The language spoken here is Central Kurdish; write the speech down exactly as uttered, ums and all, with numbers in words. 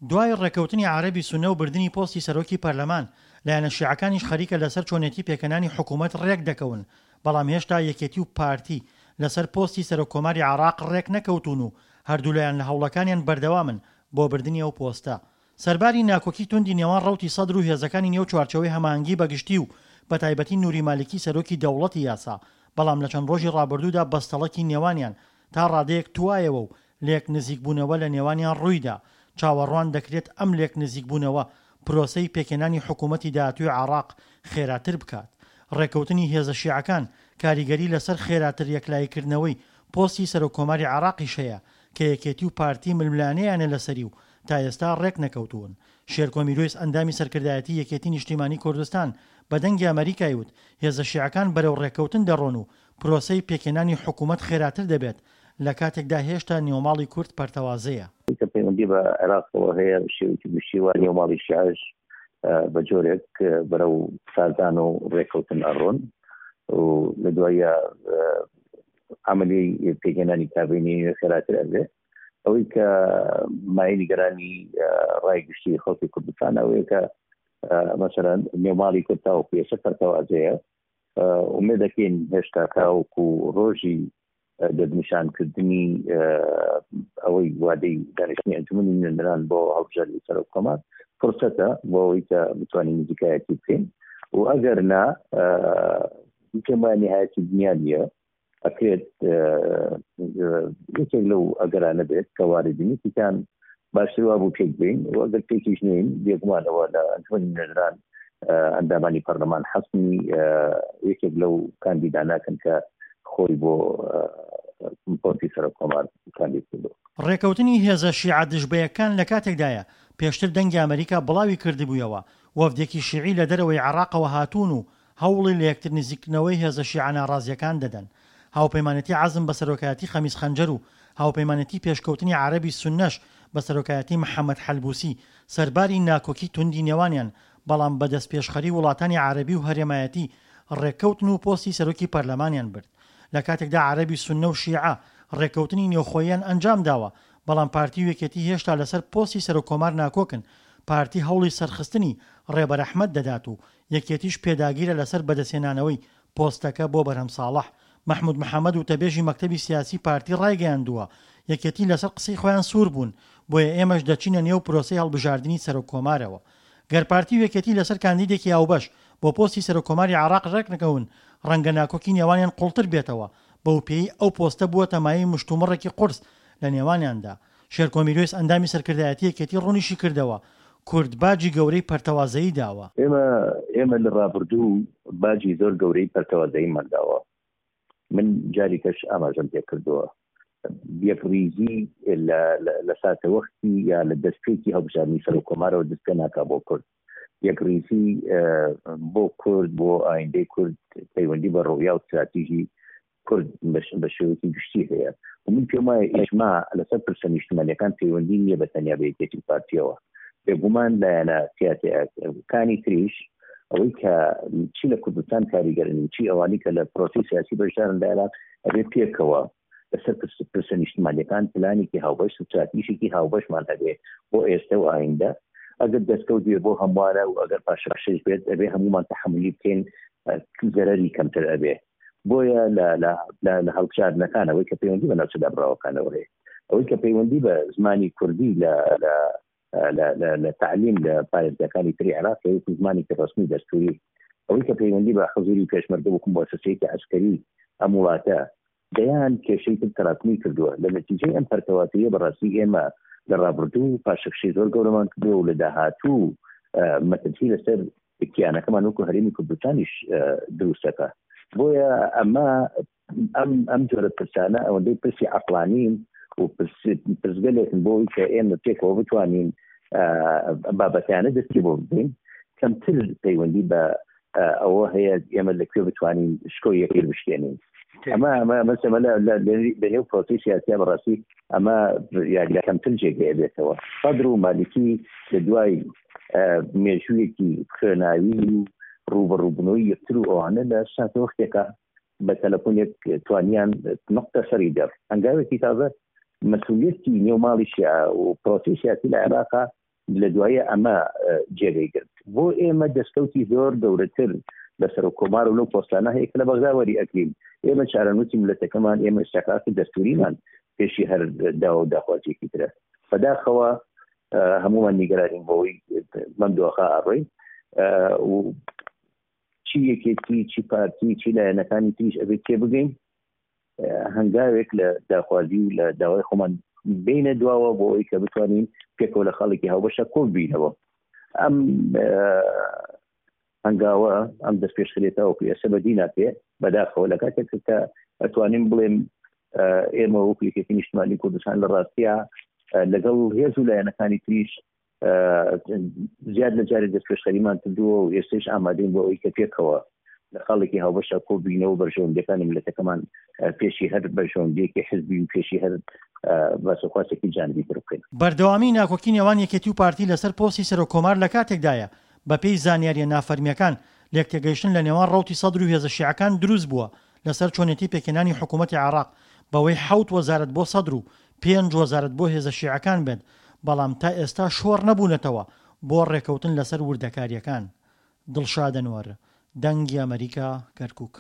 دوای ڕێککەوتنی عەرەبی سوننە و بردنی پۆستی سەرۆکی پەرلەمان، لایەنە شیعەکانیش خەریکە لەسەر چۆنێتی پێکهێنانی حکوومەت ڕێکدەکەون، بەڵام هێشتا یەکێتی و پارتی لەسەر پۆستی سەرۆککۆماری عێراق ڕێکنەکەوتوون و هەردوولایان لە هەوڵەکانیان بەردەوامن بۆ بردنی ئەو پۆستە. سەرباری ناکۆکی توندی نێوان ڕەوتی سەدر و هێزەکانی نێو چوارچێوەی هەماهەنگی بەگشتی و بەتایبەتی نوری مالیکی سەرۆکی دەوڵەتی یاسا، بەڵام لە چەند ڕۆژی ڕابردوودا بەستەڵەکی نێوانیان تا ڕادەیەک توایەوە و لێک نزیکبوونەوە لە نێوانیان ڕوویدا، چاوەڕوان دەکرێت ئەم لێک نزیکبوونەوە پرۆسەی پێکهێنانی حکوومەتی داهاتووی عێراق خێراتر بکات. ڕێککەوتنی هێزە شیعەکان کاریگەری لەسەر خێراتر یەکلاییکردنەوەی پۆستی سەرۆککۆماری عێراقیش هەیە کە یەکێتی و پارتی ململانێیانە لەسەری و تا ئێستا ڕێکنەکەوتوون. شێرکۆ میروەیس ئەندامی سەرکردایەتی یەکێتی نیشتیمانی کوردستان بە دەنگی ئەمەریکای وت هێزە شیعەکان بەرەو ڕێککەوتن دەڕۆن و پرۆسەی پێکهێنانی حکومەت خێراتر دەبێت لە کاتێکدا هێشتا نێوماڵی کورد پەرتەوازەیە. کە پەیوەندی بە عێراقەوە هەیە بە شێوەیەکی گشتی و نێوماڵی شیعەش بە جۆرێک بەرەو سازان و ڕێککەوتن ئەڕۆن و لە دوایە عملی پێکهێنانی کابینی نوێ خێراتر ئەبێ. ئەوەی کە مایەی نیگەرانی ڕای گشتی خەڵکی کوردستان ئەوەیە کە مەسەلەن نێوماڵی کورد تاوەکو ئێستا پەرتەوازەیە. ئومێد دەکەین هێشتا تاوەکو ڕۆژی دەستنیشانکردنی ئەوەی وادەی دانیشتنی ئەنجومەنی نوێنەران بۆ هەڵبژاردنی سەرۆک کۆمار فرسەتە بۆ ئەوەی کە بتوانین نزیکایەتی بکەین و ئەگەر نا پێم وایە نهایەتی دنیا نییە، ئەکرێت یەکێک لەو ئەگەرانە بێت کە واردی یەکێکان باشتر وا بوو پێک بین و ئەگەر پێکیش نین بێگومانەوە لە ئەنجومەنی نوێنەران ئەندامانی پەرلەمان حەسمی یەکێک لەو کاندیداناکەن کە خۆی بۆ پۆستی سەرۆک کۆمار کاندید کردووە. ڕێکەوتنی هێزە شیعە دژبەیەکان لە کاتێکدایە، پێشتر دەنگی ئەمەریکا بڵاوی کردبوویەوە، وەفدێکی شیعی لە دەرەوەی عێراقەوە هاتوون و هەوڵی لەیەکتر نزیککردنەوەی هێزە شیعە ناڕازییەکان دەدەن. هاوپەیمانێتی عەزم بە سەرۆکایەتی خەمیس خەنجەر و هاوپەیمانێتی پێشکەوتنی عەرەبی سوننەش بە سەرۆکایەتی محەمەد حەلبوسی سەرباری ناکۆکی توندی نێوانیان بەڵام بە دەستپێشخەری وڵاتانی عەرەبی و هەرێمایەتی ڕێککەوتن و پۆستی سەرۆکی پەرلەمانیان برد. لە کاتێکدا عەرەبی سوننە و شیعە ڕێککەوتنی نێوخۆییان ئەنجامداوە، بەڵام پارتی و یەکێتی هێشتا لەسەر پۆستی سەرۆککۆمار ناکۆکن، پارتی هەوڵی سەرخستنی ڕێبەر ئەحمەد دەدات و یەکێتیش پێداگیرە لەسەر بەدەستهێنانەوەی پۆستەکە بۆ بەرهەم ساڵح. مەحمود محەمەد وتەبێژی مەکتەبی سیاسی پارتی ڕایگەیاندووە، یەکێتی لەسەر قسەی خۆیان سوور بوون، بۆیە ئێمەش دەچینە نێو پرۆسەی هەڵبژاردنی سەرۆککۆمارەوە. گەر پارتی و یەکێتی لەسەر کاندیدێکی هاوبەش بۆ پۆستی سەرۆککۆماری عێراق ڕێکنەکەون، ڕەنگە ناکۆکی نێوانیان قوڵتر بێتەوە، بەوپێیەی ئەو پۆستە بووەتە مایەی مشتومڕێکی قورس لە نێوانیاندا. شێرکۆ میروەیس ئەندامی سەرکردایەتی یەکێتی ڕوونیشیکردەوە، کورد باجی گەورەی پەرتەوازەیی داوە. ئێمە ئێمە لە ڕابردوو باجی زۆر گەورەی پەرتەوازەییمان داوە. من جارێکەش ئاماژەم پێکردووە، یەکڕیزی لە ساتەوەختی یا لە دەستپێکی هەڵبژاردنی سەرۆک کۆمارەوە دەست پێ ناکا بۆ کورد. یەکڕیزی بۆ کورد، بۆ ئایندەی کورد پەیوەندی بە ڕۆیا و استراتیژی کورد بە شێوەیەکی گشتی هەیە و من پێم وایە ئیجماع لەسەر پرسە نیشتمانیەکان پەیوەندی نییە بە تەنیا بە یەکێتی و پارتیەوە. بێگومان لایەنە سیاسیەکانی تریش ئەوەی کە چی لە کوردستان کاریگەرن و چی ئەوانی کە لە پرۆسەی سیاسی بەشدارن لە عێراق ئەبێ پێکەوە لەسەر پرسە نیشتمانیەکان پلانێکی هاوبەش ستراتیژێکی هاوبەشمان هەبێ بۆ ئێستا و ئایندە. ئەگەر دەستکەوت بێ بۆ هەمووانە و ئەگەر پاشەکشەش بێت ئەبێ هەمومان تەحەمولی بکەین، زەرەری کەمتر ئەبێ. بۆیە لە هەڵبژاردنەکان ئەوەی کە پەیوەندی بە ناوچە دابڕاوەکانەوە هەیە، ئەوەی کە پەیوەندی بە زمانی کوردی لە لە تعلیم لە پارێزگاکانی تری عێراق وەکو زمانێکی ڕەسمی دەستوری، ئەوەی کە پەیوەندی بە حزوری پێشمەرگە وەکو موسسەیەکی عەسکەری ئەم وڵاتە، دەیان کێشەی تر تەراکمی کردووە. لە نەتیجەی ئەم پەرتەوازەیە بەڕاستی ئێمە لە ڕابردوو پاشەکشەی زۆر گەورەمان کردووە و لە داهاتوو مەترسی لەسەر کیانەکەمان وەکو هەرێمی کوردستانیش دروستەکە. بۆیە ئەمە ئەم ئەم جۆرە پرسانە ئەوەندەی پرسی عەقڵانین و پرسگەلێکن بۆ ئەوەی کە ئێمە پێکەوە بتوانین بابەتیانە دەستی بۆ ببین، کەمتر پەیوەندی بە ئەوە هەیە ئێمە لەکوێ بتوانین شکۆی یەکتر بشکێنین. ئەمە ئەمە ئەمە لە نێو پرۆسەی سیاسیە بەڕاستی ئەمە یاری کەمتر جێگەیە بێتەوە. سەدر و مالیکی لە دوای مێژوویەکی خوێناوی و ڕووبەڕووبوونەوەی یەکتر و ئەوانە لە ساتەوەختێکە بە تەلەفۆنێک توانیان نقطە سەری دەر هەنگاوێکی تازە مەسئولیەتی نێو ماڵی شیعە و پرۆسەی سیاسی لە عێراقا لە دوایە ئەمە جێگەی گرت. بۆ ئێمە دەستکەوتی زۆر گەورەتر لە سەرۆک کۆمار و لەو پۆستانە هەیە کە لە بەغدا وەری ئەگرین. ئێمە چارەنووسی میللەتەکەمان، ئێمە ئیستحقاقی دەستووریمان پێشی هەر داوا و داخوازییەکی ترە. بەداخەوە هەموومان نیگەرانین بەوەی بەم دۆخە ئەڕۆین و چی یەکێتی، چی پارتی، چی لایەنەکانی تریش ئەبێت تێبگەین هەنگاوێک لە داخوازی و لە داوای خۆمان بینە دواوە بۆ ئەوەی کە بتوانین پێکەوە لە خاڵێکی هاوبەشە کۆ بینەوە. ئەم هەنگاوە، ئەم دەستپێشخەریە تاوەکو ئێستا بەدی ناکرێ بەداخەوە، لە کاتێک کە ئەتوانین بڵێم ئێمە وەکو یەکێتی نیشتمانی کوردستان لە ڕاستیە لەگەڵ هێز و لایەنەکانی تریش زیاد لە جارێک دەستپێشخەریمان کردووە و ئێستاش ئامادەین بۆ ئەوەی کە پێکەوە لە خاڵێکی هاوبەشە کۆ بینەوە بەرژەوەندیەکانی میللەتەکەمان پێشی هەر بەرژەوەندیەکی حزبی و پێشی هەر باسوخواسێکی جانبی تر بکەین. بەردەوامیی ناکۆکی نێوان یەکێتی و پارتی لەسەر پۆستی سەرۆککۆمار لەکاتێکدایە، بەپێی زانیارییە نافەرمییەکان، لێکتێگەیشتن لەنێوان ڕەوتی سەدر و هێزە شیعەکان دروستبووە لەسەر چۆنێتی پێکهێنانی حکوومەتی عێراق، بەوەی حەوت وەزارەت بۆ سەدر و پێنج وەزارەت بۆ هێزە شیعەکان بێت، بەڵام تا ئێستا شۆڕ نەبوونەتەوە بۆ ڕێکەوتن لەسەر وردەکارییەکان. دڵشاد ئەنوەر، دەنگی ئەمەریکا، کەرکوک.